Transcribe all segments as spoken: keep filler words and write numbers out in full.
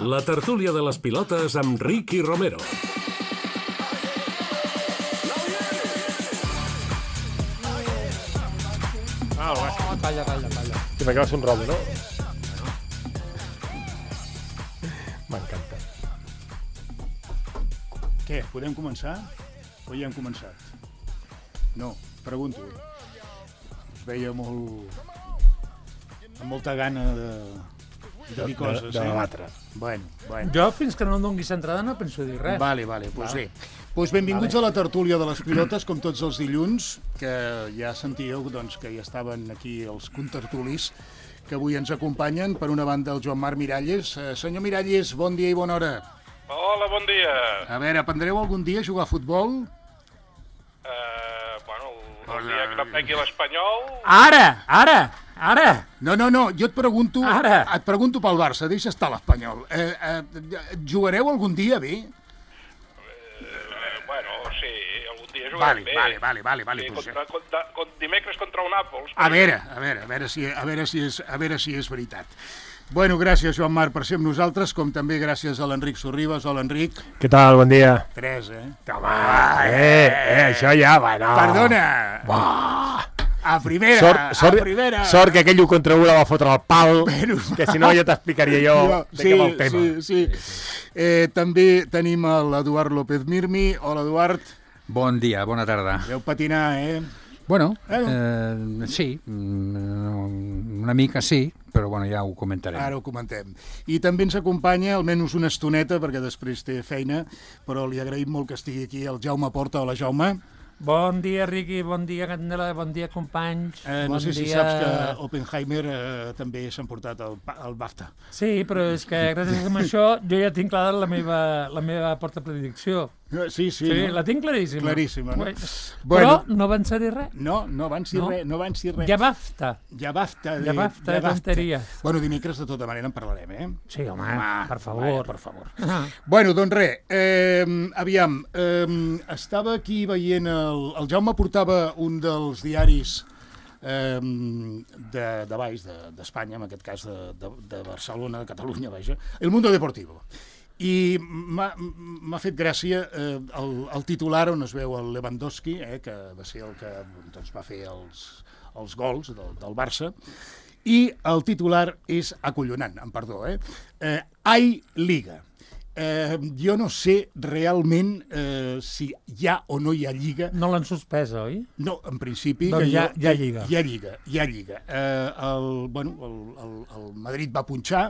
La tertúlia de les pilotes amb Ricky Romero. Ah, el bàsquet. Oh, calla, calla, calla. Sí, perquè va ser un robo, no? M'encanta. Què, podem començar? O ja hem començat? No, pregunto. Us veia molt... amb molta gana de, de dir coses, de, de eh? debatre. Bueno, bueno. Jo, fins que no em donis entrada, no penso dir res. Vale, vale, doncs bé. Pues benvinguts vale. a la tertúlia de les pilotes, com tots els dilluns, que ja sentíeu doncs, que ja estaven aquí els contertulis, que avui ens acompanyen. Per una banda, el Joan Marc Miralles. Eh, senyor Miralles, bon dia i bona hora. Hola, bon dia. A veure, aprendreu algun dia a jugar a futbol? Uh, bueno, el dia que no pegui l'Espanyol... Ara, ara, ara. No, no, no, jo et pregunto, Ara. et pregunto pel Barça, deixa estar l'Espanyol. Eh, eh, jugareu algun dia bé? Uh, bueno, sí, algun dia jugarem Vale, bé. vale, vale, vale, vale, Sí, pues, contra, contra, contra, dimecres contra el Nàpols. A veure, a veure, a veure si, a veure si és, a veure si és veritat. Bueno, gràcies, Joan Marc, per ser amb nosaltres, com també gràcies a l'Enric Sorribas. Hola, Enric. Què tal? Bon dia. Tres, eh? Home, eh, eh, això ja, bueno. Perdona! Buah. A primera, Sort, sort, a primera. sort que aquell u contra u la va fotre al pal, Bueno, que si no ja t'explicaria jo Jo, de sí, què va el tema. sí, sí. Eh, també tenim l'Eduard López Mirmi. Hola, Eduard. Bon dia, bona tarda. Veu patinar, eh? Bueno, Bueno. eh, sí, mm, una mica sí, però bueno, ja ho comentarem. Ara ho comentem. I també ens acompanya, almenys una estoneta, perquè després té feina, però li agraïm molt que estigui aquí el Jaume Porta. Hola, Jaume. Bon dia, Riqui, bon dia, Candela, bon dia, companys. Eh, no bon sé si dia... saps que Oppenheimer eh, també s'ha emportat el, el BAFTA. Sí, però és que gràcies a això jo ja tinc clara la meva, la meva porta predicció. Sí, sí. Sí, no? la tinc claríssima. Claríssima, no? Bueno, Bueno. Però no van ser res. No, no van ser No. res, no van ser res. Ja basta. Ja basta. Ja basta de tonteries. Bueno, dimecres de tota manera en parlarem, eh? Sí, home, Ah, per favor. vaja, per favor. Ah. Bueno, doncs res, eh, aviam, eh, estava aquí veient, el, el Jaume portava un dels diaris eh, de, de baix, d'Espanya, de, en aquest cas de, de, de Barcelona, de Catalunya, vaja, El Mundo Deportivo. I m'ha fet gràcia eh, el, el titular on es veu el Lewandowski, eh, que va ser el que doncs, va fer els, els gols del, del Barça, i el titular és acollonant, em perdó, eh? eh Ai Liga. Eh, jo no sé realment eh, si hi ha o no hi ha Lliga. No l'han suspès, oi? No, en principi... Doncs que hi ha- jo- hi ha Lliga. Hi ha Lliga, hi ha Lliga. Eh, el, bueno, el, el, el Madrid va punxar,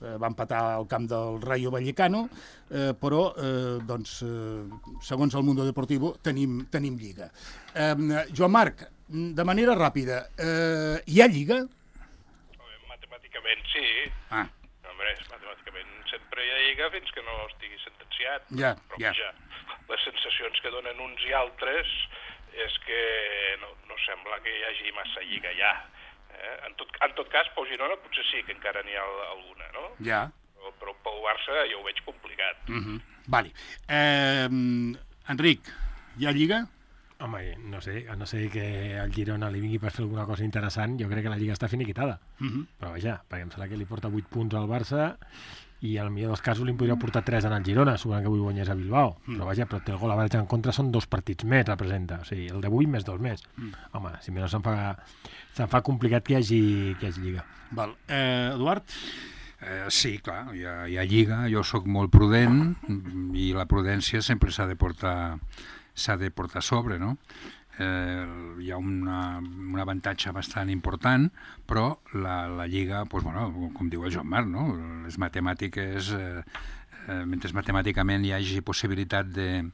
eh, va empatar al camp del Rayo Vallecano, eh, però, eh, doncs, eh, segons el Mundo Deportivo, tenim, tenim Lliga. Eh, Joan Marc, de manera ràpida, eh, hi ha Lliga? Matemàticament sí. Ah. Hombre, matemàticament sempre hi ha lliga fins que no estigui sentenciat. Ja, Però ja. vaja, les sensacions que donen uns i altres és que no, no sembla que hi hagi massa lliga ja. Eh? En, tot, en tot cas, pel Girona potser sí que encara n'hi ha alguna, no? Ja. Però, però pel Barça jo ho veig complicat. Mm -hmm. Vale. Eh, Enric, hi ha Lliga? Home, no sé, a no sé que al Girona li vingui per fer alguna cosa interessant, jo crec que la Lliga està finiquitada. Mm -hmm. Però vaja, perquè em sembla que li porta vuit punts al Barça i al millor dels casos li podria portar tres en el Girona, segurament que avui guanyés a Bilbao. Mm. Però vaja, però té el gol average en contra, són dos partits més, representa. O sigui, el d'avui més dos més. Mm. Home, si més no se'n fa, se'n fa complicat que hi hagi, que hi hagi Lliga. Val. Eh, Eduard? Eh, sí, clar, hi ha, hi ha lliga, jo sóc molt prudent i la prudència sempre s'ha de portar s'ha de portar a sobre, no? Eh, hi ha una, un avantatge bastant important, però la, la Lliga, doncs, bueno, com diu el Joan Marc, no? Les matemàtiques, eh, eh, mentre matemàticament hi hagi possibilitat de,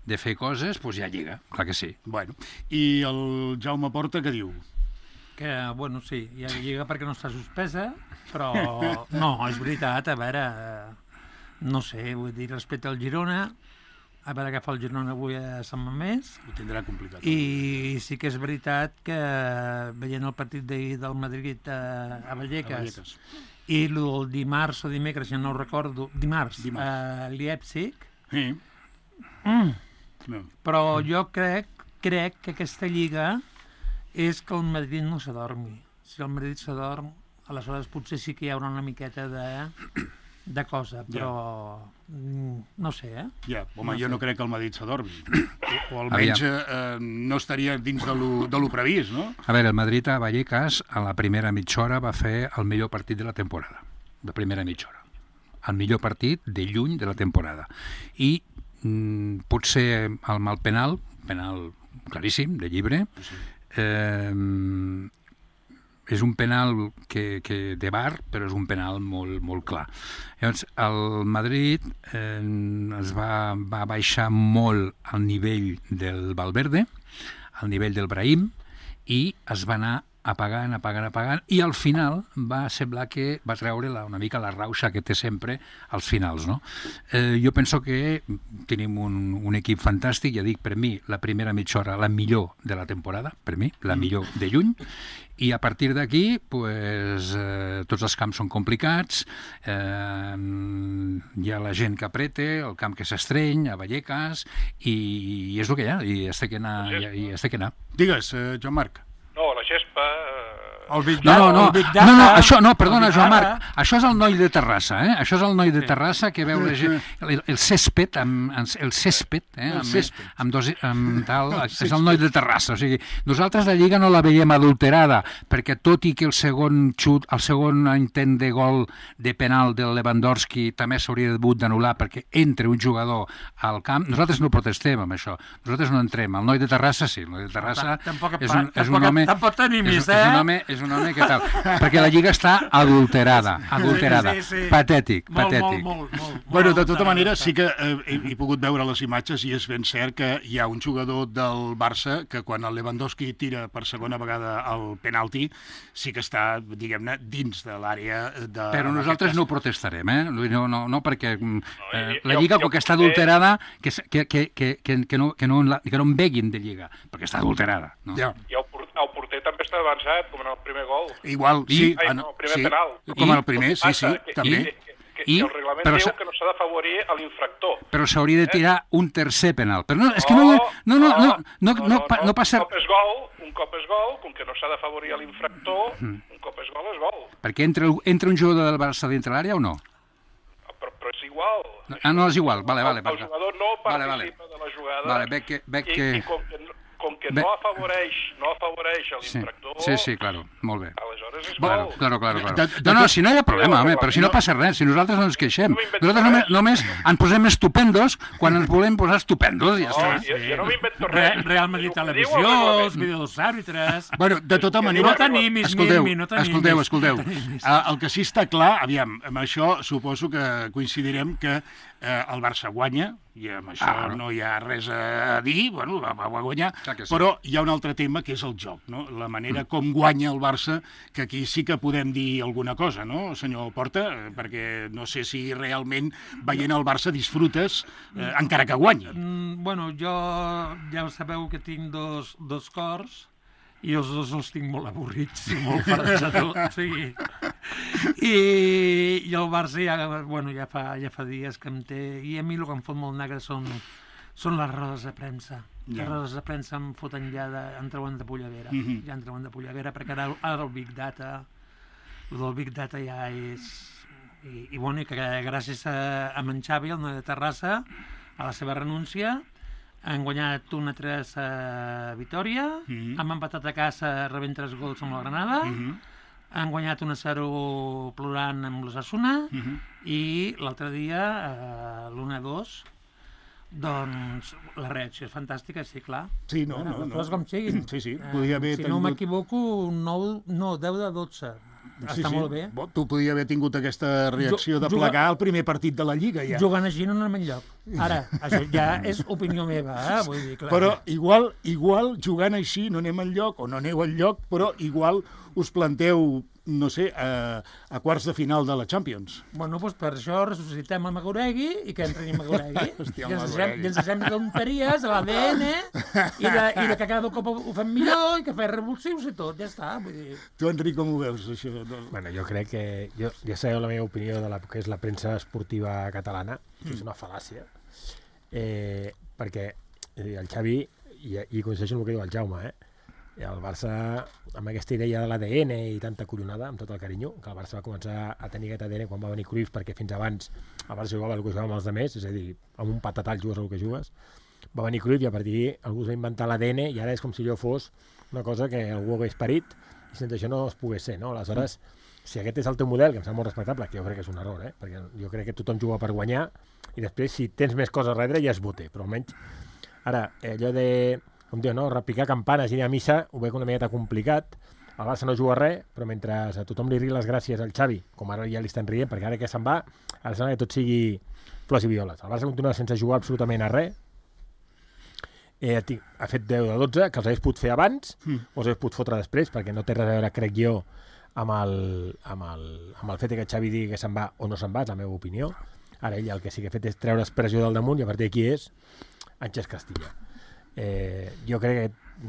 de fer coses, doncs hi ha Lliga, clar que sí. Bueno. I el Jaume Porta què diu? Que, bueno, sí, hi ha lliga perquè no està suspesa, però no, és veritat, a veure, eh, no sé, vull dir, respecte al Girona, a veure què fa el Girona avui a Sant Mamés, Ho tindrà complicat. i sí que és veritat que veient el partit d'ahir del Madrid a, a Vallecas, A Vallecas. i el dimarts o dimecres, ja no ho recordo, dimarts, Dimarts. a Leipzig, Sí. mm, No. però jo crec, crec que aquesta lliga és que el Madrid no s'adormi. Si el Madrid s'adorm, aleshores potser sí que hi haurà una miqueta de de cosa, però mm, no sé, eh? Ja, home, No jo sé. no crec que el Madrid s'adormi. O, o almenys eh, eh, no estaria dins de lo, de lo previst, no? A veure, el Madrid a Vallecas a la primera mitja hora va fer el millor partit de la temporada, de primera mitja hora. El millor partit de lluny de la temporada. I mm, potser el mal penal, penal claríssim, de llibre, eh, és un penal que, que de bar, però és un penal molt, molt clar. Llavors, el Madrid eh, es va, va baixar molt al nivell del Valverde, al nivell del Brahim, i es va anar apagant, apagant, apagant, i al final va semblar que va treure la, una mica la rauxa que té sempre als finals, no? Eh, jo penso que tenim un, un equip fantàstic, ja dic, per mi, la primera mitja hora, la millor de la temporada, per mi, la millor de lluny, i a partir d'aquí, pues, eh, tots els camps són complicats, eh, hi ha la gent que apreta, el camp que s'estreny, a Vallecas, i, i és el que hi ha, i es té que anar. I, i es té que anar. Digues, eh, Joan Marc. No, la gespa... Eh... El Big No, Data, no, no, el Big no, Data, no, això, no, perdona, el Big Joan Data. Marc, això és el noi de Terrassa, eh? Això és el noi de Terrassa que veu la gent, el, el césped, amb, el césped, eh? El Amb, césped. amb, dos, amb tal, és el noi de Terrassa, o sigui, nosaltres la Lliga no la veiem adulterada, perquè tot i que el segon xut, el segon intent de gol de penal del Lewandowski també s'hauria hagut d'anul·lar perquè entre un jugador al camp, nosaltres no protestem amb això, nosaltres no entrem, el noi de Terrassa sí, el noi de Terrassa Tampoc, és un, és un tampoc, home... tampoc t'animis, és, eh? és un home, és un home que tal, perquè la Lliga està adulterada, adulterada, Sí, sí, sí. patètic, Molt, patètic. molt, molt, molt, Bueno, de molt tota manera, adulterat. sí que eh, he, he pogut veure les imatges i és ben cert que hi ha un jugador del Barça que quan el Lewandowski tira per segona vegada el penalti sí que està, diguem-ne, dins de l'àrea de... Però nosaltres no protestarem, eh? No, no, no perquè eh, la jo- Lliga, jo com que està potser- adulterada, que, que, que, que, que, que, no, que, no, en la- que no en veguin de Lliga, perquè està adulterada. No? Ja. I el, por el porter també està avançat, com en el primer gol. Igual, I- sí. Ai, ah, no, primer sí, penal. com I- el primer, sí, sí, que, també. Que, que, que, I- que el reglament però diu sa- que no s'ha d'afavorir a l'infractor. Però s'hauria de tirar un tercer penal. Però no, és que no, no, no, no, no, no, no, pa- no passa... Un cop és gol, un cop és gol, com que no s'ha d'afavorir a l'infractor, Mm. un cop és gol és gol. Perquè entra, entra un jugador del Barça dintre l'àrea o no? Però, però és igual. No, ah, no, és igual. Vale, vale, el, el vale. jugador no Vale, participa vale. de la jugada. Vale, veig que- veig i, que- I com que, no- com que Ve- no afavoreix, no afavoreix a Sí, l'infractor, sí, sí, claro, molt bé. aleshores és Claro, gol. claro, claro, claro. De- de No, no, tot- si no hi ha problema, home, però si no passa res, si nosaltres no ens queixem. No m'invento Nosaltres només, res. només ens posem estupendos quan ens volem posar estupendos i ja No, està. jo, jo no m'invento Re, res. Real Madrid Diu- diu el Televisió, reglament. els vídeos dels àrbitres... Bueno, de tota manera... No t'animis, escolteu, Mirmi, no t'animis. escolteu, escolteu. No t'animis. Eh, el que sí està clar, aviam, amb això suposo que coincidirem que eh, el Barça guanya, i amb això Ah, no. no hi ha res a dir, bueno, va, va guanyar, Clar que sí. però hi ha un altre tema que és el joc, no? La manera com guanya el Barça, que aquí sí que podem dir alguna cosa, no, senyor Porta? Eh, Perquè no sé si realment veient el Barça disfrutes, eh, encara que guanyi. Mm, bueno, jo ja sabeu que tinc dos, dos cors i els dos els tinc molt avorrits i molt farts de tot. O sigui, i, i el Barça ja, bueno, ja, fa, ja fa dies que em té... I a mi el que em fot molt negre són, són les rodes de premsa. Ja. Les rodes de premsa em foten ja de, em treuen de pollavera. Mhm. Ja em treuen de pollavera, perquè ara, ara el Big Data, el del Big Data ja és... I, i bueno, i que gràcies a, a en Xavi, el noi de Terrassa, a la seva renúncia, han guanyat un a tres a Vitòria, Mhm. han empatat a casa rebent tres gols amb la Granada, Mhm. han guanyat un a zero plorant amb l'Osasuna, Mhm. i l'altre dia, eh, l'un a dos, doncs la reacció és fantàstica, sí, clar. Sí, no, Bueno, no, les no. coses com siguin. Sí, sí, Eh, podia haver si tingut- no m'equivoco, nou, no, deu de dotze. Sí, Està sí. molt bé. Bo, tu podia haver tingut aquesta reacció Jo- de juga- plegar el primer partit de la Lliga, ja. Jugant així no anem enlloc. Ara, això ja és opinió meva, eh? Vull dir, clar. Però igual, igual jugant així no anem enlloc, o no aneu enlloc, però igual us planteu, no sé, a, a quarts de final de la Champions. Bueno, doncs per això ressuscitem el Magoregui i que entri Magoregui. Hòstia, I ens el deixem, Magoregui. i ens deixem de tonteries a l'A D N i de, i de que cada cop ho fem millor i que fem revulsius i tot, ja està. Vull dir... Tu, Enric, com ho veus, això? Bueno, jo crec que... Jo, ja sabeu la meva opinió de la que és la premsa esportiva catalana. Això és una fal·làcia. Eh, perquè eh, el Xavi, i, i coincideixo amb el que diu el Jaume, eh? I el Barça, amb aquesta idea de l'A D N i tanta collonada, amb tot el carinyo, que el Barça va començar a tenir aquest A D N quan va venir Cruyff, perquè fins abans el Barça jugava el que jugava amb els altres, és a dir, amb un patatall jugues el que jugues. Va venir Cruyff i a partir d'ahir algú es va inventar l'A D N i ara és com si allò fos una cosa que algú hagués parit i sense això no es pogués ser, no? Aleshores, si aquest és el teu model, que em sembla molt respectable, que jo crec que és un error, eh? Perquè jo crec que tothom juga per guanyar i després, si tens més coses a darrere, ja es bote, però almenys ara, allò de com diu, no? Repicar campanes i anar a missa ho veig una miqueta complicat. El Barça no juga res, però mentre a tothom li rigui les gràcies al Xavi, com ara ja li estan rient, perquè ara que se'n va, ara sembla que tot sigui flors i violes. El Barça continua sense jugar absolutament a res. Eh, ha fet deu de dotze, que els hagués pogut fer abans, mm. o els hagués pogut fotre després, perquè no té res a veure, crec jo, amb el, amb el, amb el fet que Xavi digui que se'n va o no se'n va, és la meva opinió. Ara ell el que sí que ha fet és treure expressió del damunt i a partir d'aquí és Àngels Castilla. Eh, jo crec que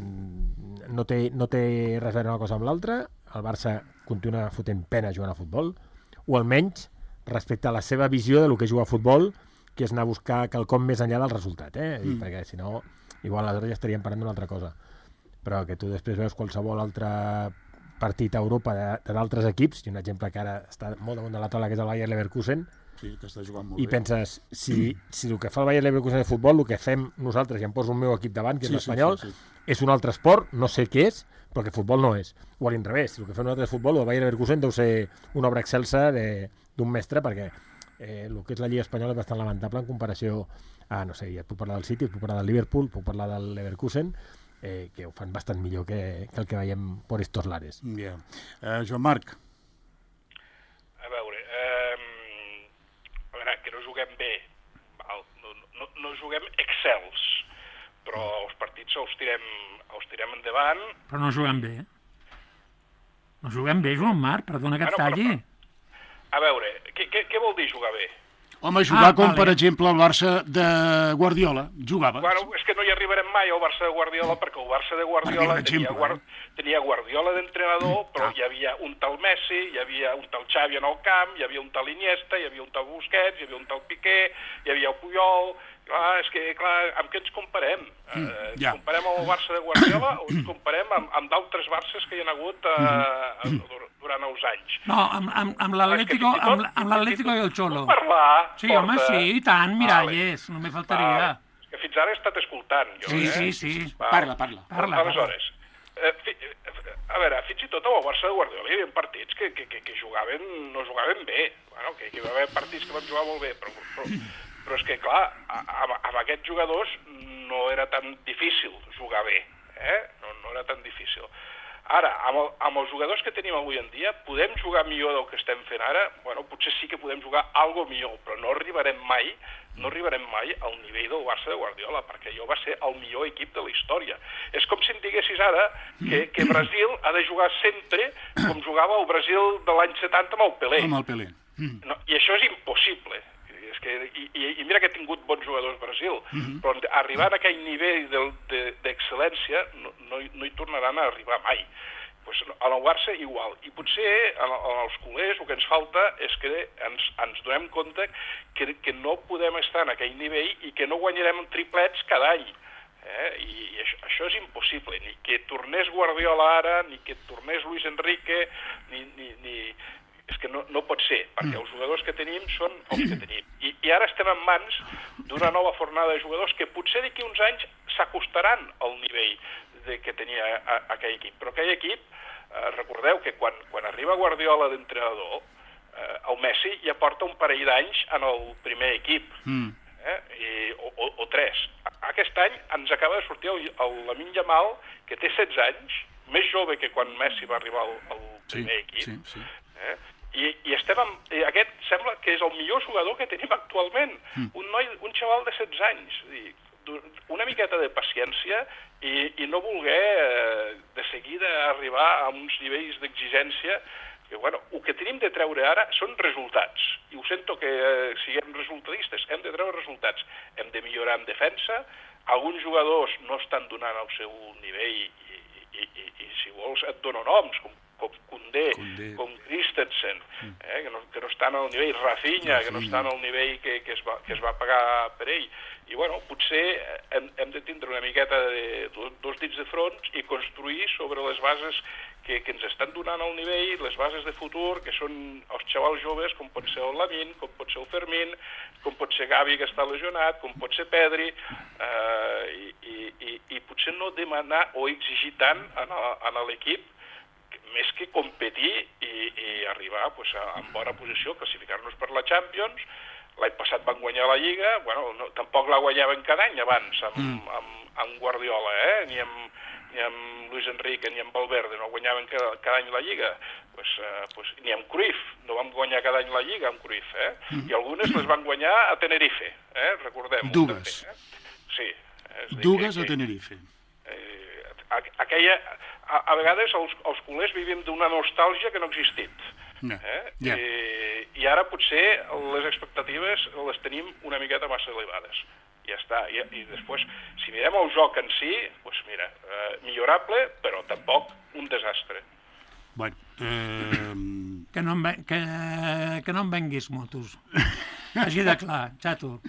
no té, no té res a veure una cosa amb l'altra. El Barça continua fotent pena jugant a futbol, o almenys respecte a la seva visió de lo que juga a futbol, que és anar a buscar quelcom més enllà del resultat, eh? Mm. perquè si no, igual aleshores ja estaríem parlant d'una altra cosa, però que tu després veus qualsevol altre partit a Europa d'altres equips, i un exemple que ara està molt damunt de la taula, que és el Bayer Leverkusen, sí, que està jugant molt i bé. penses, si, si el que fa el Bayer Leverkusen de futbol, el que fem nosaltres, i em poso el meu equip davant, que és sí, l'Espanyol, sí, sí, sí. és un altre esport, no sé què és, però que futbol no és. O a l'inrevés, si el que fem nosaltres és futbol, el Bayer Leverkusen deu ser una obra excelsa d'un mestre, perquè eh, el que és la Lliga Espanyola és bastant lamentable en comparació a, no sé, ja et puc parlar del City, et puc parlar del Liverpool, puc parlar del Leverkusen, eh, que ho fan bastant millor que, que el que veiem por estos lares. Yeah. Uh, Joan Marc. A veure, eh, a veure, que no juguem bé, val? No, no, no juguem excels, però els partits els tirem, els tirem endavant. Però no juguem bé. No juguem bé, Joan Marc, perdona que et Bueno, talli. però- A veure, què, què, què vol dir jugar bé? Home, jugar Ah, com, vale. per exemple, el Barça de Guardiola. Jugava. Bueno, és que no hi arribarem mai al Barça de Guardiola, perquè el Barça de Guardiola Per dir un tenia, exemple, guard, eh? tenia Guardiola d'entrenador, però Ah. hi havia un tal Messi, hi havia un tal Xavi en el camp, hi havia un tal Iniesta, hi havia un tal Busquets, hi havia un tal Piqué, hi havia el Puyol. Clar, és que, clar, amb què ens comparem? Mm, eh, ja. Ens comparem amb el Barça de Guardiola o ens comparem amb, amb d'altres Barces que hi ha hagut eh, Mm. durant els anys? No, amb, amb, amb l'Atlético És que fins i tot- amb, amb l'Atlético i el Xolo. Puc parlar? Sí, home, Porta? sí, i tant, miralles, no me faltaria. Vale. És que fins ara he estat escoltant, jo, Sí, eh? sí, sí. Val. Parla, parla. Parla, Aleshores, eh, fi, eh, a veure, fins i tot amb el Barça de Guardiola hi havia partits que, que, que, que jugaven, no jugaven bé. Bueno, que, que hi va haver partits que van jugar molt bé, però, però, però és que, clar, amb, amb aquests jugadors no era tan difícil jugar bé, eh? No, no era tan difícil. Ara, amb, el, amb els jugadors que tenim avui en dia, podem jugar millor del que estem fent ara? Bueno, potser sí que podem jugar algo millor, però no arribarem mai, no arribarem mai al nivell del Barça de Guardiola, perquè allò va ser el millor equip de la història. És com si em diguessis ara que, que Brasil ha de jugar sempre com jugava el Brasil de l'any setanta amb el Pelé. Amb el Pelé. Mm. No, i això és impossible. És que, i, i mira que ha tingut bons jugadors Brasil, mm-hmm. però arribar a aquell nivell d'excel·lència no, no, no hi tornaran a arribar mai. Pues a el Barça igual. I potser als culers el que ens falta és que ens, ens donem compte que, que no podem estar en aquell nivell i que no guanyarem triplets cada any. Eh? I, i això, això és impossible. Ni que tornés Guardiola ara, ni que tornés Luis Enrique, ni... ni, ni és que no, no pot ser, perquè els jugadors que tenim són els que tenim. I, i ara estem en mans d'una nova fornada de jugadors que potser d'aquí uns anys s'acostaran al nivell de, que tenia a, a aquell equip. Però aquell equip, eh, recordeu que quan, quan arriba Guardiola d'entrenador, eh, el Messi ja porta un parell d'anys en el primer equip, mm. eh, i, o, o, o tres. Aquest any ens acaba de sortir el, el Lamine Yamal, que té setze anys, més jove que quan Messi va arribar al, al primer sí, equip. Sí, sí. Eh? I, i estem amb, i aquest sembla que és el millor jugador que tenim actualment, mm. un noi, un xaval de setze anys. I una miqueta de paciència i, i no voler eh, de seguida arribar a uns nivells d'exigència que, bueno, el que tenim de treure ara són resultats. I ho sento que eh, siguem resultadistes, hem de treure resultats. Hem de millorar en defensa, alguns jugadors no estan donant el seu nivell i, i, i, i si vols et dono noms, com com Koundé, Koundé. com Christensen, eh, que, no, que no estan al nivell, Rafinha, que no estan al nivell que, que, es va, que es va pagar per ell. I bueno, potser hem, hem de tindre una miqueta de dos, dos dits de front i construir sobre les bases que, que ens estan donant el nivell, les bases de futur, que són els xavals joves, com pot ser el Lamine, com pot ser el Fermín, com pot ser Gavi, que està lesionat, com pot ser Pedri, eh, i, i, i, i potser no demanar o exigir tant en, a, en l'equip, més que competir i, i arribar pues, a, a bona posició, classificar-nos per la Champions. L'any passat van guanyar la Lliga, bueno, no, tampoc la guanyaven cada any abans amb, mm. amb, amb Guardiola, eh? ni, amb, ni amb Luis Enrique ni amb Valverde, no guanyaven cada, cada any la Lliga, pues, uh, pues, ni amb Cruyff, no vam guanyar cada any la Lliga amb Cruyff, eh? Mm. i algunes les van guanyar a Tenerife, eh? recordem-ho. Dues. També, eh? Sí. És Dues que, a Tenerife. Eh, aquella, a, a vegades els, els culers vivim d'una nostàlgia que no ha existit. No. Eh? Ja. I, I ara potser les expectatives les tenim una miqueta massa elevades. Ja està. I, i després, si mirem el joc en si, doncs mira, eh, millorable, però tampoc un desastre. Bueno, eh... Que no em, ve- que, que no em venguis motos. Així de clar, xato.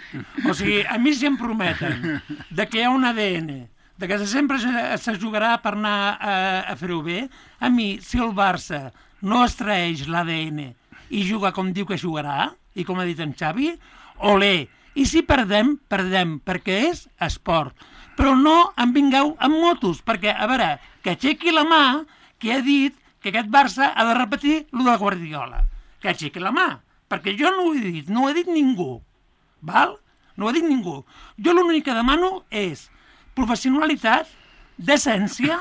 O sigui, a mi si em prometen de que hi ha un A D N, de que sempre se, se jugarà per anar a, a fer-ho bé, a mi, si el Barça no es traeix l'A D N i juga com diu que jugarà, i com ha dit en Xavi, olé. I si perdem, perdem, perquè és esport. Però no em vingueu amb motos, perquè, a veure, que aixequi la mà que ha dit que aquest Barça ha de repetir el de Guardiola. Que aixequi la mà, perquè jo no ho he dit, no ho ha dit ningú. Val? No ho ha dit ningú. Jo l'únic que demano és professionalitat, decència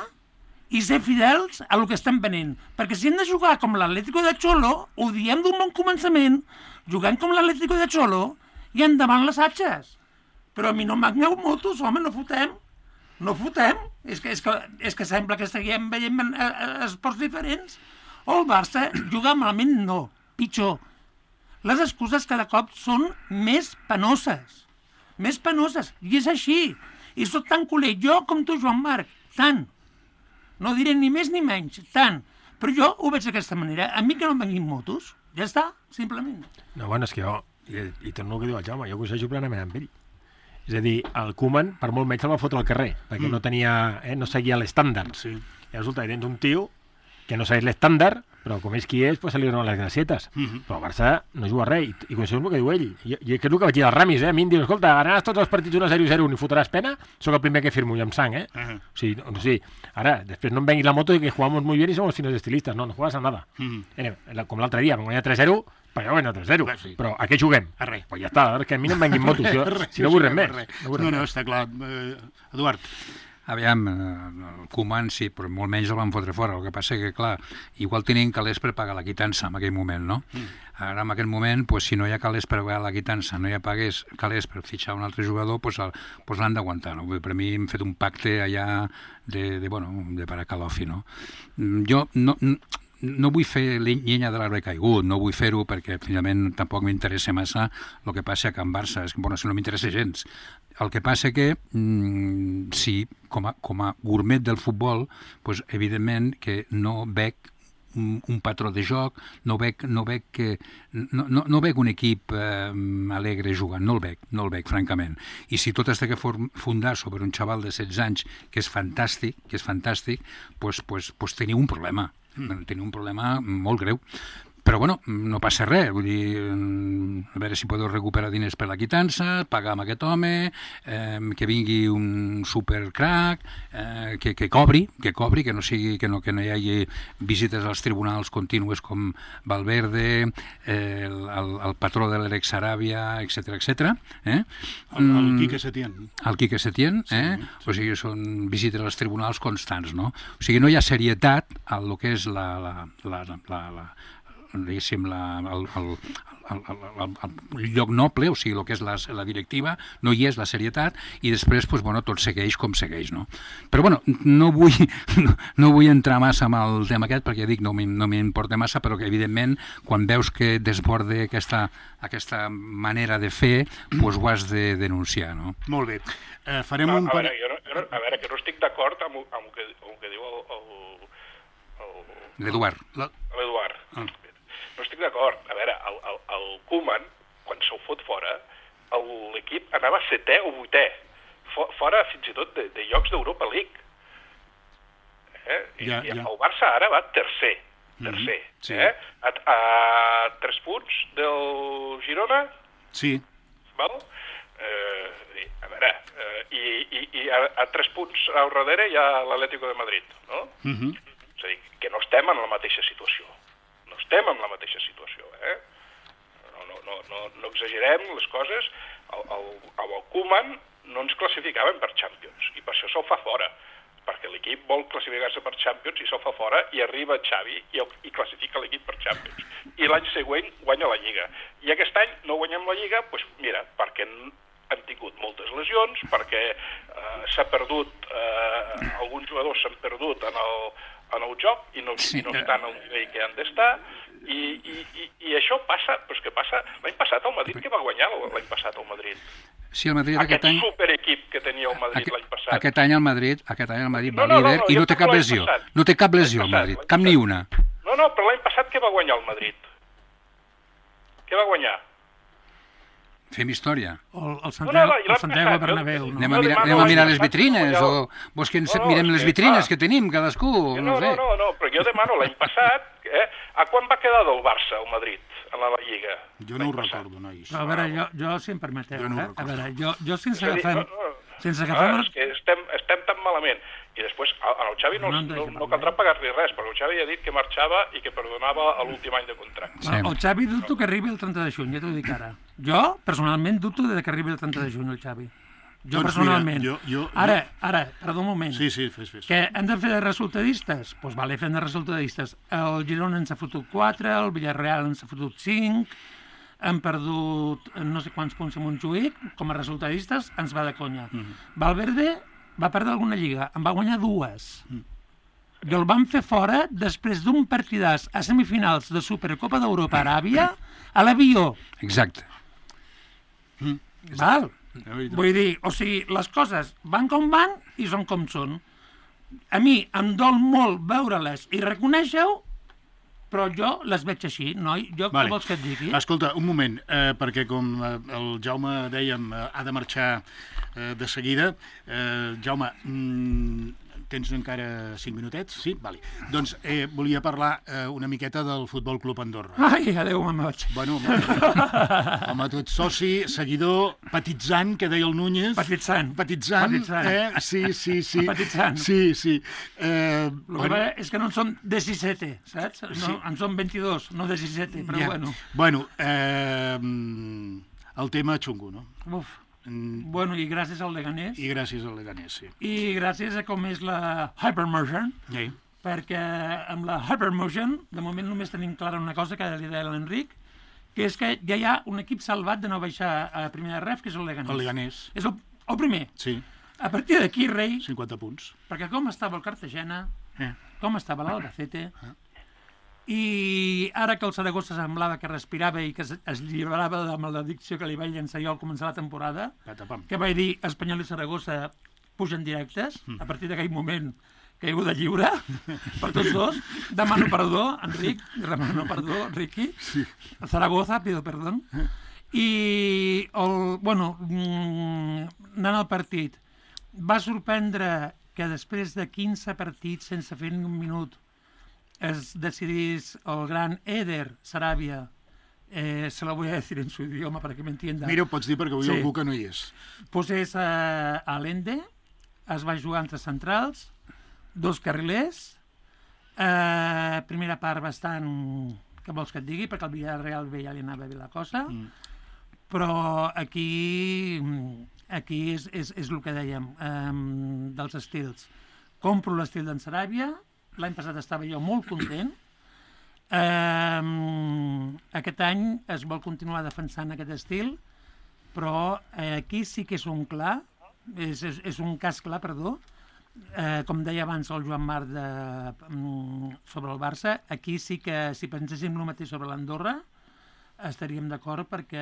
i ser fidels a el que estem venent. Perquè si hem de jugar com l'Atlético de Cholo, ho diem d'un bon començament, jugant com l'Atlético de Cholo i endavant les atxes. Però a mi no m'agneu motos, home, no fotem. No fotem. És que, és que, és que sembla que estiguem veient eh, eh, esports diferents. O el Barça juga malament, no. Pitjor. Les excuses cada cop són més penoses. Més penoses. I és així. I soc tan culer, jo com tu, Joan Marc. Tant. No diré ni més ni menys, tant. Però jo ho veig d'aquesta manera. A mi que no em venguin motos. Ja està, simplement. No, bueno, és que jo, i, i torno al que diu el Jaume, jo coincideixo plenament amb ell. És a dir, el Koeman, per molt menys, el va fotre al carrer, perquè mm. no tenia, eh, no seguia l'estàndard. Sí. I resulta que tens un tio que no segueix l'estàndard, però com és qui és, pues se li donen les gracietes. Mm-hmm. Però el Barça no juga res, i, i coincideixo amb el que diu ell. I, i que és el que vaig dir als Ramis, eh? A mi em diu, escolta, ganaràs tots els partits un a zero zero i fotràs pena, sóc el primer que firmo i amb sang, eh? Uh-huh. O sigui, no, o sigui, ara, després no em venguis la moto i que jugamos muy bien y somos finos estilistas. No, no juegas a nada. Mm-hmm. Eh, com l'altre dia, vam guanyar tres zero, perquè jo guanyar tres zero. Bé, sí. Però a què juguem? A res. Pues ja està, que a mi no em venguin motos. Jo, res, si no vull res més. Res. No, no, no, està clar. Eh, Eduard. Aviam, el Koeman sí, però molt menys el van fotre fora. El que passa que, clar, igual tenien calés per pagar la quitança en aquell moment, no? Mm. Ara, en aquell moment, pues, si no hi ha calés per pagar la quitança, no hi ha pagués calés per fitxar un altre jugador, pues, el, pues l'han d'aguantar, no? Per mi hem fet un pacte allà de, de bueno, de paracalofi, no? Jo no... no No vull fer llenya de l'arbre caigut, no vull fer-ho perquè finalment tampoc m'interessa massa el que passa a Can Barça, és que, bueno, si no m'interessa gens. El que passa que, mm, sí, com a, com a gourmet del futbol, pues, evidentment que no veig un, un patró de joc, no veig, no veig, que, no, no, no veig un equip eh, alegre jugant, no el veig, no el veig, francament. I si tot has de fundar sobre un xaval de setze anys, que és fantàstic, que és fantàstic, pues, pues, pues teniu un problema. Mm. Tenia un problema molt greu. Però, bueno, no passa res. Vull dir, a veure si podeu recuperar diners per la quitança, pagar amb aquest home, eh, que vingui un supercrac, eh, que, que cobri, que cobri, que no sigui, que no, que no hi hagi visites als tribunals contínues com Valverde, eh, el, el, el patró de l'Erex Saràbia, etcètera, etcètera. Eh? El, el Quique Setién. El Quique Setién, eh? Sí, sí. O sigui, són visites als tribunals constants, no? O sigui, no hi ha serietat a lo que és la... la, la, la, la, la diguéssim, la, el, el, el, el, el lloc noble, o sigui, el que és la, la directiva, no hi és la serietat, i després, pues, bueno, tot segueix com segueix, no? Però, bueno, no vull, no, no vull entrar massa amb el tema aquest, perquè dic, no m'importa massa, però que, evidentment, quan veus que desborde aquesta, aquesta manera de fer, pues, ho has de denunciar, no? Molt bé. Eh, farem a, un... A veure, jo no, jo no, a veure, que no estic d'acord amb, amb, que, amb el que diu el, el, L'Eduard. L'Eduard. Ah. No estic d'acord. A veure, el, el, el Koeman, quan se'l fot fora, l'equip anava setè o vuitè, fora fins i tot de, de llocs d'Europa League. Eh? I, ja, i ja. el Barça ara va tercer, tercer. Mm-hmm. Sí. Eh? A, a tres punts del Girona, Sí. val? Eh, a veure, eh, i, i, i a, a tres punts al darrere hi ha l'Atlético de Madrid, no? Uh -huh. És a dir, que no estem en la mateixa situació. No estem en la mateixa situació, eh? No, no, no, no, no exagerem les coses. El, el, el Koeman no ens classificaven per Champions, i per això se'l fa fora, perquè l'equip vol classificar-se per Champions i se'l fa fora, i arriba Xavi i, el, i classifica l'equip per Champions. I l'any següent guanya la Lliga. I aquest any no guanyem la Lliga, doncs mira, perquè han tingut moltes lesions, perquè eh, s'ha perdut, eh, alguns jugadors s'han perdut en el, en el joc i no, sí, i no estan al nivell que han d'estar, i, i, i, i això passa, però què passa? L'any passat el Madrid, que va guanyar l'any passat el Madrid? Sí, el Madrid aquest aquest any... superequip que tenia el Madrid aquest, l'any passat. Aquest any el Madrid, aquest any el Madrid no, va no, líder no, no, i no té cap lesió. Passat. No té cap lesió el Madrid, cap ni una. No, no, però l'any passat què va guanyar el Madrid? Què va guanyar? Fem història. El, el Santiago, no, no, el Santiago Bernabéu. No? Anem a mirar, anem a mirar les vitrines, o vols que ens no, no, mirem les que, vitrines clar. que tenim cadascú? No, No, no, sé. no, no, però jo demano l'any passat, eh, a quan va quedar del Barça el Madrid en la Lliga? Jo no ho recordo, nois. Però a veure, jo, jo si em permeteu, Jo no ho eh? a recordo. veure, jo, jo sense És a dir, agafem... no, no, Sense Ah, agafem... és que estem, estem tan malament. I després, a- al Xavi no, No no, em no, deixa no parlar, caldrà eh? pagar-li res, perquè el Xavi ha dit que marxava i que perdonava a l'últim any de contracte. Sí. El, el Xavi dubto que arribi el trenta de juny, ja t'ho dic ara. Jo, personalment, dubto de que arribi el trenta de juny el Xavi. Jo, Doncs personalment. mira, jo- jo- Ara, ara, perdó un moment. Sí, sí, fes, fes. Que hem de fer de resultadistes? Doncs pues vale, fem de resultadistes. El Girona ens ha fotut quatre, el Villarreal ens ha fotut cinc, hem perdut no sé quants punts a Montjuïc, com a resultadistes ens va de conya. Mm -hmm. Valverde va perdre alguna lliga, en va guanyar dues. Mm. I el van fer fora després d'un partidàs a semifinals de Supercopa d'Europa a Aràbia a l'avió. Exacte. Val? Vull dir, o sigui, les coses van com van i són com són. A mi em dol molt veure-les i reconèixer-ho, però jo les veig així, noi. Jo Vale. què vols que et digui? Escolta, un moment, eh, perquè com eh, el Jaume, dèiem, eh, ha de marxar eh, de seguida. Eh, Jaume, mm, tens encara cinc minutets? Sí? Vale. Doncs eh, volia parlar eh, una miqueta del Futbol Club Andorra. Ai, adéu, me'n vaig. Bueno, home, home, tu ets soci, seguidor, petitzant, que deia el Núñez. Petitzant. Petitzant, Petitzant. eh? Sí, sí, sí. Petitzant. Sí, sí. Eh, El que bueno, passa és que no en són disset, saps? No, Sí. en són vint-i-dos, no disset, però ja. bueno. Bueno, eh, el tema xungo, no? Uf. Mm, Bueno, i gràcies al Leganés, I gràcies al Leganés, sí. i gràcies a com és la Hypermotion, Sí. perquè amb la Hypermotion, de moment només tenim clara una cosa que li deia l'Enric, que és que ja hi ha un equip salvat de no baixar a primera ref, que és el Leganés. El Leganés, És el, el primer. sí, A partir d'aquí, rei, cinquanta punts. perquè com estava el Cartagena, Eh. com estava l'Albacete, i ara que el Saragossa semblava que respirava i que es, es llibrava de la maledicció que li vaig llançar jo al començar la temporada, Patapam. que vaig dir Espanyol i Saragossa pugen directes, a partir d'aquell moment caiguda lliure per tots dos. Demano perdó, Enric, demano perdó, Riqui. Sí. Zaragoza, pido perdón. I, el, bueno, mm, anant al partit, va sorprendre que després de quinze partits sense fer ni un minut es decidís el gran Eder Sarabia, eh, se la voy a decir en su idioma para que me entienda. Mira, ho pots dir perquè avui Sí. algú que no hi és. Posés a, a l'Ende, es va jugar entre centrals, dos carrilers, eh, primera part bastant, què vols que et digui, perquè el Villarreal bé ja li anava bé la cosa, mm. però aquí, aquí és, és, és el que dèiem, eh, dels estils. Compro l'estil d'en Saràbia, l'any passat estava jo molt content, eh, aquest any es vol continuar defensant aquest estil, però eh, aquí sí que és un clar, és, és, és un cas clar, perdó, eh, com deia abans el Joan Marc de, mm, sobre el Barça, aquí sí que si penséssim el mateix sobre l'Andorra estaríem d'acord perquè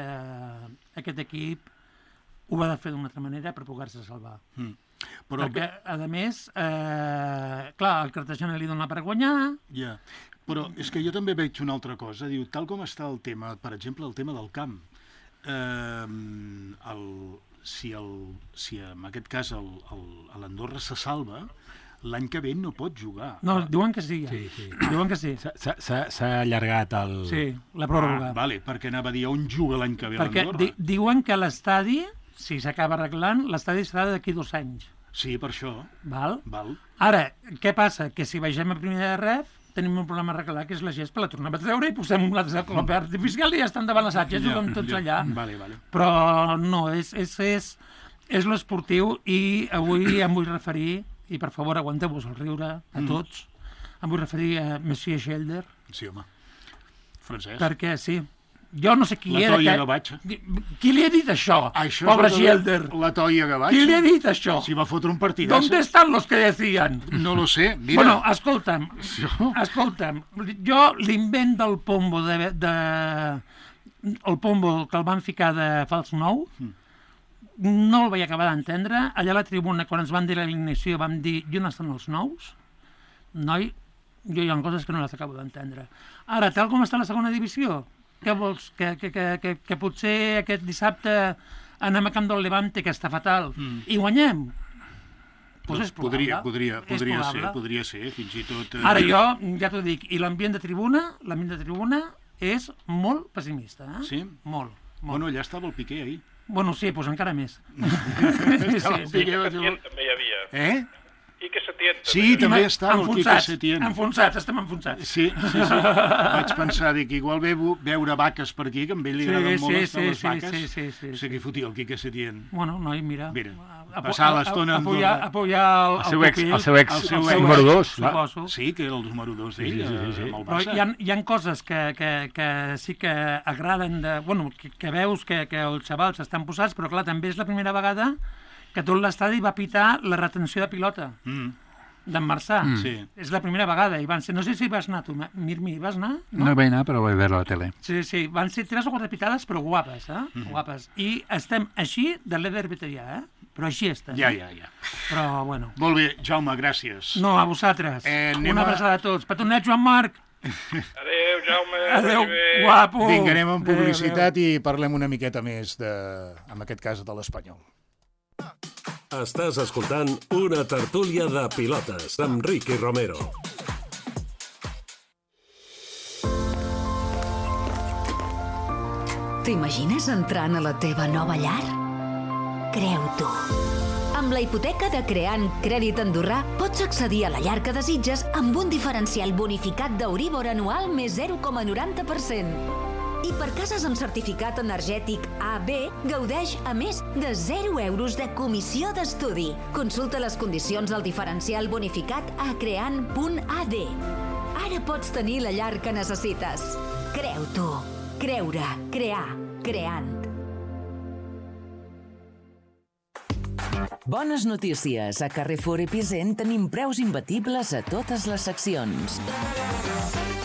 aquest equip ho ha de fer d'una altra manera per poder-se salvar. Mm. Però... Perquè, a més, eh, clar, el Cartagena li dona per guanyar... Ja, però és que jo també veig una altra cosa. Diu, tal com està el tema, per exemple, el tema del camp, eh, el, si, el, si en aquest cas l'Andorra se salva, l'any que ve no pot jugar. No, diuen que sí, ja. Sí, sí. Diuen que sí. S'ha allargat el... Sí, la pròrroga. Ah, vale, perquè anava a dir on juga l'any que ve perquè l'Andorra. di diuen que l'estadi, si s'acaba arreglant, l'estadi serà d'aquí dos anys. Sí, per això. Val? Val. Ara, què passa? Que si vegem a primera de ref, tenim un problema a arreglar, que és la gespa, la tornem a treure i posem un altre color artificial i ja estan davant l'assaig, ja juguem tots ja. allà. Vale, vale. Però no, és, és, és, és l'esportiu i avui em vull referir, i per favor aguanteu-vos el riure a tots, mm. em vull referir a Monsieur Schelder. Sí, home. Francesc. Perquè sí, jo no sé qui la era... Toia que... Gavatxa. Qui li ha dit això? això Pobre la, Schelder. La Toia Gavatxa. Qui li ha dit això? Si va fotre un partidazo. ¿Dónde están los que decían? No lo sé, mira. Bueno, escolta'm, Jo... escolta'm, jo l'invent del pombo de, de... el pombo que el van ficar de fals nou, mm. no el vaig acabar d'entendre. Allà a la tribuna, quan ens van dir l'alineació, vam dir, i on estan els nous? Noi, jo hi ha coses que no les acabo d'entendre. Ara, tal com està la segona divisió, què vols? Que, que, que, que, que potser aquest dissabte anem a Camp del Levante, que està fatal, mm. i guanyem? Pues és probable. Podria, podria, podria és ser, podria ser, fins i tot... Eh... Ara jo, ja t'ho dic, i l'ambient de tribuna, l'ambient de tribuna és molt pessimista, eh? Sí? Molt, molt. Bueno, allà estava el Piqué, ahir. Bueno, sí, doncs encara més. Estava el sí, Piqué, sí. va dir... També hi havia. Eh? I que Setién també. Sí, també estava el Quique Enfonsats, Setién. enfonsats, estem enfonsats. Sí, sí, sí. Vaig pensar, dic, igual ve veure vaques per aquí, que a ell li Sí, agraden sí, molt sí, estar les sí, vaques. sí, sí, sí, O sigui, que fotia el Quique Setién. Bueno, noi, mira. Mira, Apo- passar a- l'estona a- amb apoyar, Andorra. apoyar el, El seu ex, pupil, el seu ex, el seu el ex, número dos. suposo. Sí, que era el número dos d'ell, Sí, sí, sí, sí. amb el Però Barça. hi ha, hi ha coses que, que, que sí que agraden, de, bueno, que, que veus que, que els xavals estan posats, però clar, també és la primera vegada que tot l'estadi va pitar la retenció de pilota Mm. d'en Marçà. Mm. Sí. És la primera vegada. I van ser, no sé si vas anar tu, Mirmi, vas anar? No, no vaig anar, però vaig veure a la tele. Sí, sí, van ser tres o quatre pitades, però guapes, eh? Mm. Guapes. I estem així de l'Eder Veterià, eh? Però així estem. Ja, ja, ja. Però, bueno. Molt bé, Jaume, gràcies. No, a vosaltres. Eh, anem Una a- abraçada a tots. Petonet, Joan Marc. Adéu, Jaume. Adéu, vagi bé. guapo. Vinga, anem amb Adéu, publicitat i parlem una miqueta més, de, en aquest cas, de l'Espanyol. Estàs escoltant una tertúlia de pilotes amb Ricky Romero. T'imagines entrant a la teva nova llar? Creu-t'ho. Amb la hipoteca de Creant Crèdit Andorrà pots accedir a la llar que desitges amb un diferencial bonificat d'Euríbor anual més zero coma noranta per cent. I per cases amb certificat energètic A B, gaudeix a més de zero euros de comissió d'estudi. Consulta les condicions del diferencial bonificat a creant punt a d. Ara pots tenir la llar que necessites. Creu-t'ho. Creure, crear, creant. Bones notícies. A Carrefour Epicent tenim preus imbatibles a totes les seccions.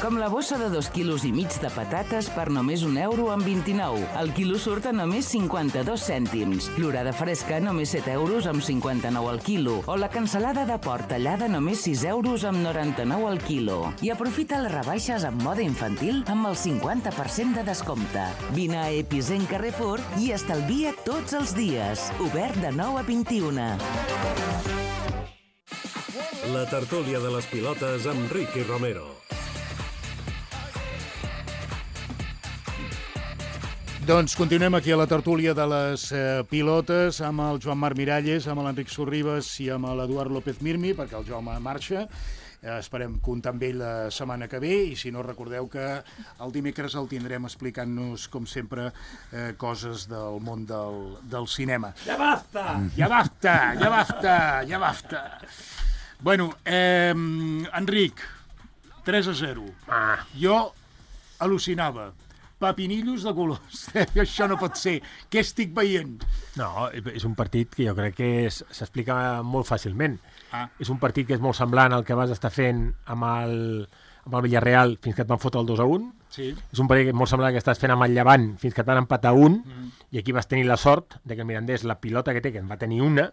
Com la bossa de dos quilos i mig de patates per només un euro amb vint-i-nou. El quilo surt a només cinquanta-dos cèntims. L'orada fresca només set euros amb cinquanta-nou al quilo. O la cansalada de porc tallada només sis euros amb noranta-nou al quilo. I aprofita les rebaixes en moda infantil amb el cinquanta per cent de descompte. Vine a Epicent Carrefour i estalvia tots els dies. Obert de nou a vint-i-una. La tertúlia de les pilotes amb Ricky Romero. Doncs continuem aquí a la tertúlia de les eh, pilotes amb el Joan Marc Miralles, amb l'Enric Sorribas i amb l'Eduard López Mirmi, perquè el Jaume marxa. Eh, esperem comptar amb ell la setmana que ve i si no recordeu que el dimecres el tindrem explicant-nos, com sempre, eh, coses del món del, del cinema. Ja basta! Ja basta, ja basta, ja basta. Bueno, eh, Enric, tres a zero. Ah. Jo al·lucinava. Papinillos de colors. Això no pot ser. Què estic veient? No, és un partit que jo crec que s'explica molt fàcilment. Ah. És un partit que és molt semblant al que vas estar fent amb el, amb el Villarreal fins que et van fotre el dos a un. Sí. És un partit molt semblant al que estàs fent amb el Llevant fins que et van empatar un, mm. i aquí vas tenir la sort de que el Mirandés, la pilota que té, que en va tenir una,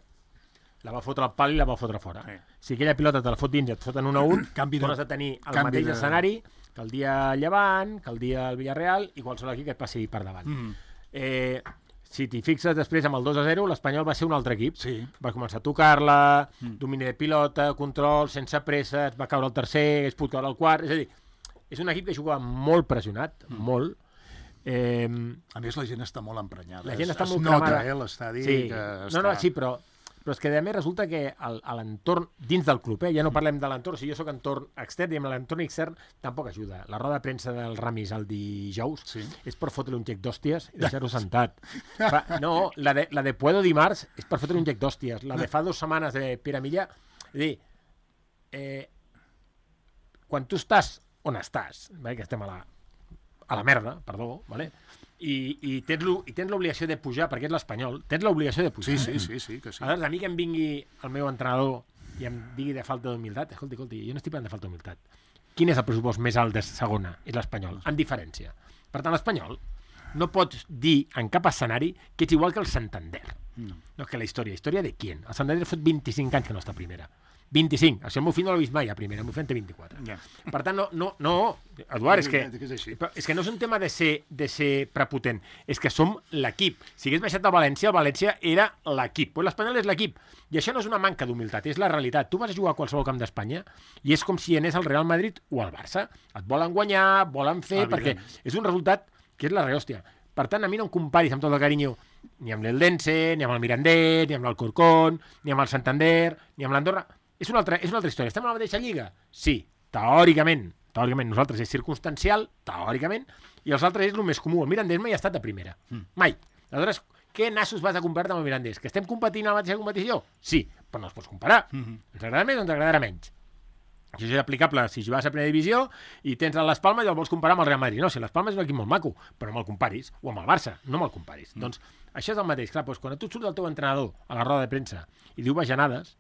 la va fotre al pal i la va fotre fora. Eh. Si aquella pilota te la fot dins i et foten un a un, Canvi de- tornes a tenir el canvi mateix de- escenari que el dia Llevant, que el dia el Villarreal i qualsevol equip que et passi per davant. Mm. Eh, si t'hi fixes després amb el dos a zero, l'Espanyol va ser un altre equip. Sí. Va començar a tocar-la, mm. domini de pilota, control, sense pressa, es va caure el tercer, es pot caure el quart... És a dir, és un equip que jugava molt pressionat, mm. molt. Eh, A més, la gent està molt emprenyada. la gent Es- està es molt nota, cremada. eh, l'estadi Sí. que No, està... no, sí, però, però és que a més resulta que el- a l'entorn dins del club, eh, ja no parlem de l'entorn, si jo sóc entorn extern, i amb l'entorn extern tampoc ajuda. La roda de premsa del Ramis el dijous Sí. és per fotre un gec d'hòsties i deixar-ho sentat. Fa, no, la de, la de Puedo dimarts és per fotre un gec d'hòsties. La de fa dues setmanes de Pere Milla, és a dir, eh, quan tu estàs on estàs, vale, que estem a la, a la merda, perdó, vale? i, i tens l'o- i tens l'obligació de pujar, perquè és l'Espanyol, tens l'obligació de pujar. Sí, sí, sí, sí, que sí. Aleshores, a mi que em vingui el meu entrenador i em digui de falta d'humilitat, escolti, escolti, jo no estic parlant de falta d'humilitat. Quin és el pressupost més alt de segona? És l'Espanyol, en diferència. Per tant, l'Espanyol no pots dir en cap escenari que ets igual que el Santander. No. No, que la història. Història de quién? El Santander fot vint-i-cinc anys que no està a primera. vint-i-cinc. El meu fill no l'ha vist mai a primera, el meu fill en té vint-i-quatre. Ja. Per tant, no, no, no, Eduard, és que, És així. però és que no és un tema de ser, de ser prepotent, és que som l'equip. Si hagués baixat a València, el València era l'equip. Pues l'Espanyol és l'equip. I això no és una manca d'humilitat, és la realitat. Tu vas a jugar a qualsevol camp d'Espanya i és com si anés al Real Madrid o al Barça. Et volen guanyar, volen fer, Evident. perquè és un resultat que és la rehòstia. Per tant, a mi no em comparis amb tot el carinyo ni amb l'Eldense, ni amb el Mirandés, ni amb l'Alcorcón, ni amb el Santander, ni amb l'Andorra. És una, altra, és una altra història. Estem a la mateixa lliga? Sí, teòricament. Teòricament. Nosaltres és circumstancial, teòricament, i els altres és el més comú. El Mirandés mai ha estat a primera. Mm. Mai. Aleshores, què nassos vas a comparar amb el Mirandés? Que estem competint a la mateixa competició? Sí, però no els pots comparar. Mm -hmm. Ens agradarà més o ens agradarà menys. Això és aplicable si jugues a primera divisió i tens a les Palmes i el vols comparar amb el Real Madrid. No, si les Palmes és un equip molt maco, però no me'l comparis. O amb el Barça, no me'l comparis. Mm. Doncs això és el mateix. Clar, doncs, quan tu surts del teu entrenador a la roda de premsa i diu bajanades,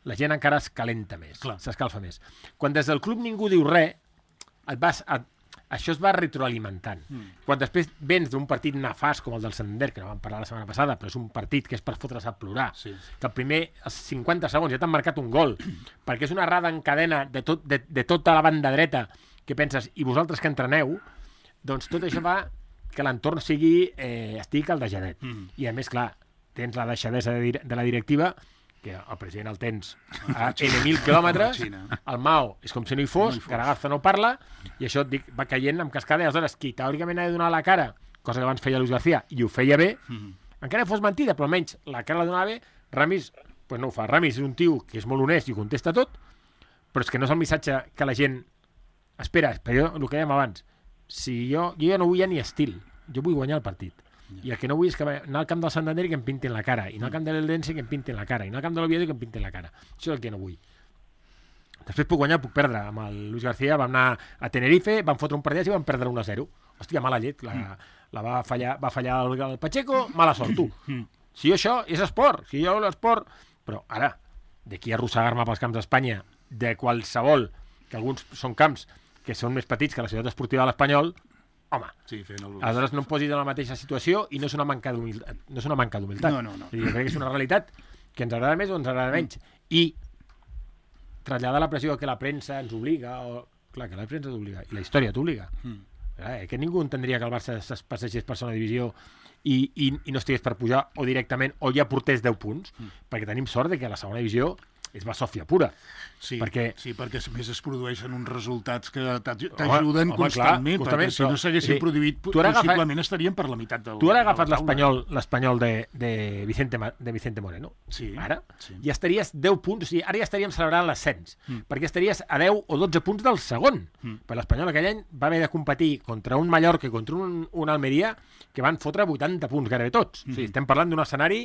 la gent encara es calenta més, s'escalfa més. Quan des del club ningú diu res, et vas a... això es va retroalimentant. Mm. Quan després vens d'un partit nefast com el del Santander, que no vam parlar la setmana passada, però és un partit que és per fotre's a plorar, sí. que el primer, als cinquanta segons, ja t'han marcat un gol, perquè és una errada en cadena de, tot, de, de tota la banda dreta, que penses, i vosaltres que entreneu, doncs tot això fa que l'entorn sigui, eh, estigui caldejadet. Mm. I a més, clar, tens la deixadesa de, dir de la directiva, que el president el tens a N mil quilòmetres, el Mao és com si no hi fos, no Garagarza no parla, i això et dic, va caient amb cascada, i aleshores qui teòricament ha de donar la cara, cosa que abans feia Luis García, i ho feia bé, mm-hmm. encara que fos mentida, però almenys la cara la donava bé, Ramis pues no ho fa. Ramis és un tio que és molt honest i ho contesta tot, però és que no és el missatge que la gent espera, però jo, el que dèiem abans, si jo, jo ja no vull ja ni estil, jo vull guanyar el partit. I el que no vull és que anar al camp del Santander i que em pintin la cara, i anar al camp de l'Eldense i que em pintin la cara, i anar al camp de l'Oviedo i que em pintin la cara. Això és el que no vull. Després puc guanyar, puc perdre. Amb el Luis García vam anar a Tenerife, vam fotre un partit i vam perdre un a zero. Hòstia, mala llet. La, la va fallar, va fallar el, el Pacheco, mala sort, tu. Si jo això és esport, si jo l'esport... Però ara, d'aquí a arrossegar-me pels camps d'Espanya, de qualsevol, que alguns són camps que són més petits que la ciutat esportiva de l'Espanyol, home, sí, el... aleshores no em posis en la mateixa situació i no és una manca d'humilitat. No és una manca d'humilitat. No, no, no. Jo crec que és una realitat que ens agrada més o ens agrada menys. Mm. I traslladar la pressió que la premsa ens obliga, o... clar, que la premsa t'obliga, i la història t'obliga. Mm. Eh, que ningú entendria que el Barça es passegés per segona divisió i, i, i no estigués per pujar, o directament, o ja portés deu punts, mm. perquè tenim sort de que la segona divisió és basòfia pura. Sí, perquè... sí, perquè a més es produeixen uns resultats que t'ajuden constantment, clar, perquè si no s'haguessin sí. produït, possiblement agafa... estaríem per la meitat del... Tu ara agafes l'Espanyol l'Espanyol de, de, Vicente, de Vicente Moreno, sí, ara, sí. ja estaries deu punts, o sigui, ara ja estaríem celebrant l'ascens, mm. perquè estaries a deu o dotze punts del segon. Mm. Per l'Espanyol aquell any va haver de competir contra un Mallorca i contra un, un Almeria que van fotre vuitanta punts gairebé tots. Mm. O sigui, estem parlant d'un escenari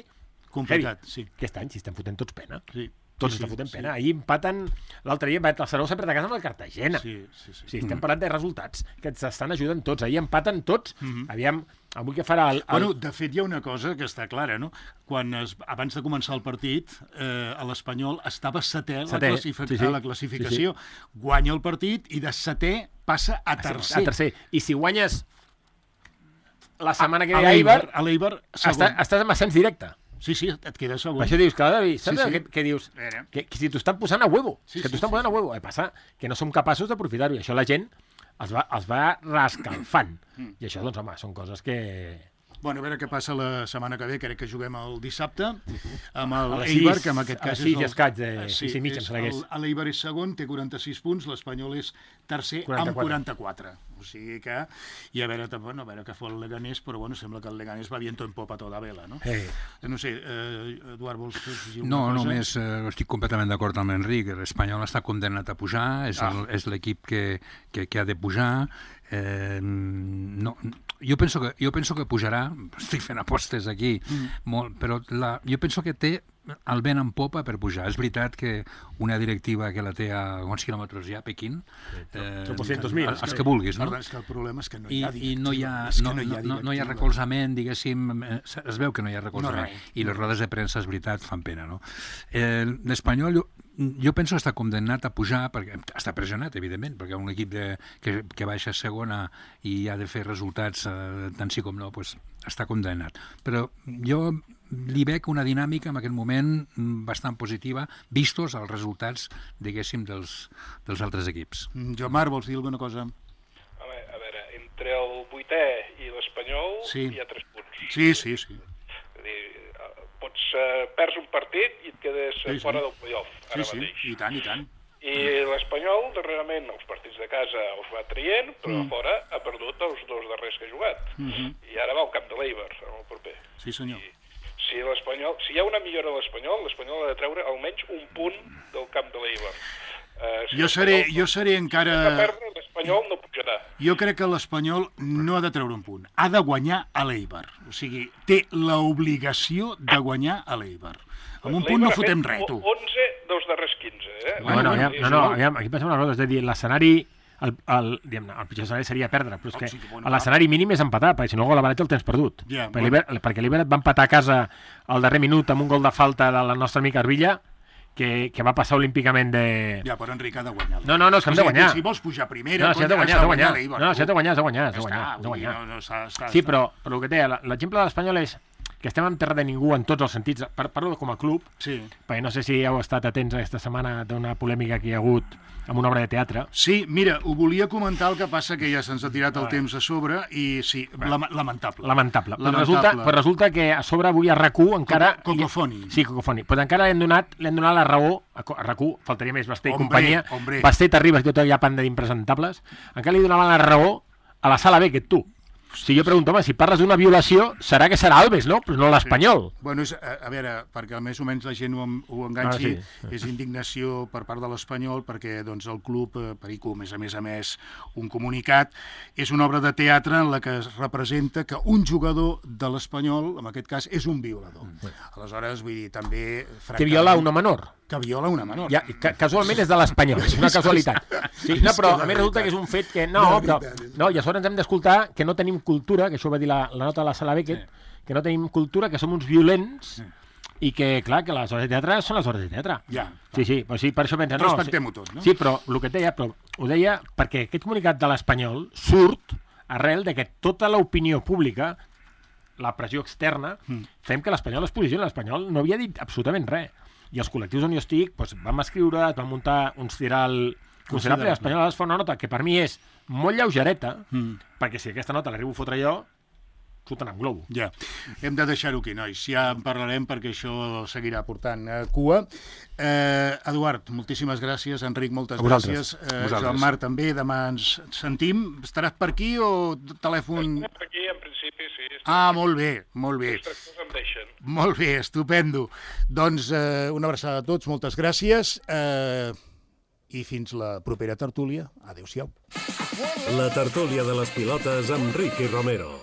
complicat, sí. Aquest any s'hi estan fotent tots pena. Sí. Tots sí, estan fotent sí. pena. Ahir empaten, l'altre dia el Saragossa perd a casa amb el Cartagena. Sí, sí, sí. sí estem parlant de resultats que ens estan ajudant tots. Ahir empaten tots. Mm-hmm. Aviam, avui què farà el, el... Bueno, de fet, hi ha una cosa que està clara, no? Quan es, abans de començar el partit, eh, a l'Espanyol estava setè, setè. La, classific... sí, sí. a la classificació. Sí, sí. Guanya el partit i de setè passa a tercer. A tercer. I si guanyes la setmana que ve a Eibar, a l'Eibar estàs, estàs en ascens directe. Sí, sí, et queda segon. Per això dius, clar, saps Sí, sí. que, que dius? Era. Que, que si t'ho estan posant a huevo, Sí, que sí, t'ho estan sí, posant a huevo. El que passa que no som capaços d'aprofitar-ho, i això la gent els va, els va rescalfant. Mm. I això, doncs, home, són coses que... Bueno, a veure què passa la setmana que ve, crec que juguem el dissabte, amb el A les Eibar, sis, que en aquest a les cas sis és i el... escaig de- Eh, sis i mitja, em és sembla que és. el- L'Eibar és segon, té quaranta-sis punts, l'Espanyol és tercer amb quaranta-quatre. quaranta-quatre. O sigui que... I a veure, bueno, a veure què fa el Leganés, però bueno, sembla que el Leganés va viento en popa toda vela, no? Eh. No sé, eh, Eduard, vols dir No, una cosa? només eh, estic completament d'acord amb l'Enric. L'Espanyol està condemnat a pujar, és Ah. el- és l'equip que, que, que ha de pujar. Eh, no, jo, penso que, jo penso que pujarà, estic fent apostes aquí, mm. molt, però la, jo penso que té el vent en popa per pujar. És veritat que una directiva que la té a quants quilòmetres hi ha, Pequín? Eh, tropocientos mil. els, els que vulguis, no? Perdó, és que el problema és que no hi I, ha i no hi ha, És que no, no hi ha no, no hi ha directiva. recolzament, diguéssim, eh, es veu que no hi ha recolzament. No, res. I les rodes de premsa, és veritat, fan pena, no? Eh, L'Espanyol, jo, jo penso que està condemnat a pujar, perquè està pressionat, evidentment, perquè un equip de, que, que baixa a segona i ha de fer resultats, eh, tant sí com no, pues, està condemnat. Però jo li veig una dinàmica en aquest moment bastant positiva, vistos els resultats, diguéssim, dels, dels altres equips. Mm, Joan Marc, vols dir alguna cosa? A veure, a veure, entre el vuitè i l'Espanyol Sí. hi ha tres punts. Sí, sí, sí. És a dir, eh, pots, eh, perds un partit i et quedes Sí, sí, sí. fora del playoff, Sí, ara sí, mateix. i tant, i tant. I l'Espanyol, darrerament, els partits de casa els va traient, però Mm. a fora ha perdut els dos darrers que ha jugat. Mhm. I ara va al camp de l'Eibar, en el proper. Sí, senyor. I si l'Espanyol, si hi ha una millora a l'Espanyol, l'Espanyol ha de treure almenys un punt del camp de l'Eibar. Uh, si Jo seré, l'Espanyol jo seré no encara... perdre, l'Espanyol no pujarà. Jo crec que l'Espanyol no ha de treure un punt. Ha de guanyar a l'Eibar. O sigui, té l'obligació de guanyar a l'Eibar. Amb un punt no L'Eibar ha fet fotem res, tu. onze dels darrers quinze, eh? Bueno, bueno, bueno, aviam, no, no, aviam, aquí passa una cosa, és a dir, l'escenari, el, el, diguem, el pitjor escenari seria perdre, però és que sí, bueno, l'escenari mínim és empatar, perquè si no el gol de València el tens perdut. Ja, perquè bueno. l'Iber- perquè l'Iber va empatar a casa al darrer minut amb un gol de falta de la nostra amica Arbilla, que, que va passar olímpicament de... Ja, però Enric ha de guanyar. No, no, no, és que hem de O sigui, guanyar. Si vols pujar primera, No, si has de cony, guanyar, has de guanyar. l'Eibar, No, si has de tu. guanyar, has de guanyar, has de Ja guanyar, està, has de vull dir, guanyar. no, no, està, està, Sí, està. però, però el que té, l'exemple de l'Espanyol és que estem en terra de ningú en tots els sentits. Par- Parlo com a club, Sí. perquè no sé si heu estat atents aquesta setmana d'una polèmica que hi ha hagut amb una obra de teatre. Sí, mira, ho volia comentar, el que passa que ja se'ns ha tirat el Ah. temps a sobre i sí, lama- lamentable. Lamentable. Però Lamentable. resulta, però resulta que a sobre avui a RAC u encara... Co- Cocofoni. Sí, Cocofoni. Però encara li han donat, li han donat la raó a, Co- a RAC u, faltaria més Basté i Hombre, companyia. hombre. Basté, t'arribes i tota aquella panda d'impresentables. Encara li donaven la raó a la sala B que tu. Si jo pregunto, home, si parles d'una violació, serà que serà Alves, no? Però no l'Espanyol. Bueno, és, a, a veure, perquè més o menys la gent ho, en- ho enganxi, Ah, és indignació per part de l'Espanyol, perquè doncs, el club, eh, Perico, a més a més a més, un comunicat, és una obra de teatre en la que es representa que un jugador de l'Espanyol, en aquest cas, és un violador. Aleshores, vull dir, també... Que viola una menor. Que viola una menor. Ja, ca casualment és de l'Espanyol, és una casualitat. Sí, no, però a més resulta que és un fet que... No, però, no, i a sobre ens hem d'escoltar que no tenim cultura, que això ho va dir la, la nota de la Sala Beckett, que no tenim cultura, que som uns violents i que, clar, que les hores de teatre són les hores de teatre. Ja. Sí, sí, però sí, per això pensa... No, Respectem-ho sí, tot, no? Sí, però el que et deia, però ho deia perquè aquest comunicat de l'Espanyol surt arrel de que tota l'opinió pública, la pressió externa, Mm. fem que l'Espanyol es posicioni. L'Espanyol no havia dit absolutament res. I els col·lectius on jo estic doncs, vam escriure, vam muntar un ciral considerable. L'Espanyol ha de fer una nota que per mi és molt lleugereta, Mm. perquè si aquesta nota l'arribo a fotre jo, surten amb globo. Ja, hem de deixar-ho aquí, nois. Ja en parlarem perquè això seguirà portant eh, cua. Eh, Eduard, moltíssimes gràcies. Enric, moltes A vosaltres. gràcies. Eh, Vosaltres. Joan Marc, també. Demà ens sentim. Estaràs per aquí o telèfon... Per aquí, en principi, sí. Ah, molt bé, molt bé. Els tractors em deixen. Molt bé, estupendo. Doncs eh, una abraçada a tots, moltes gràcies. Eh, I fins la propera tertúlia. Adéu-siau. La tertúlia de les pilotes amb Ricky Romero.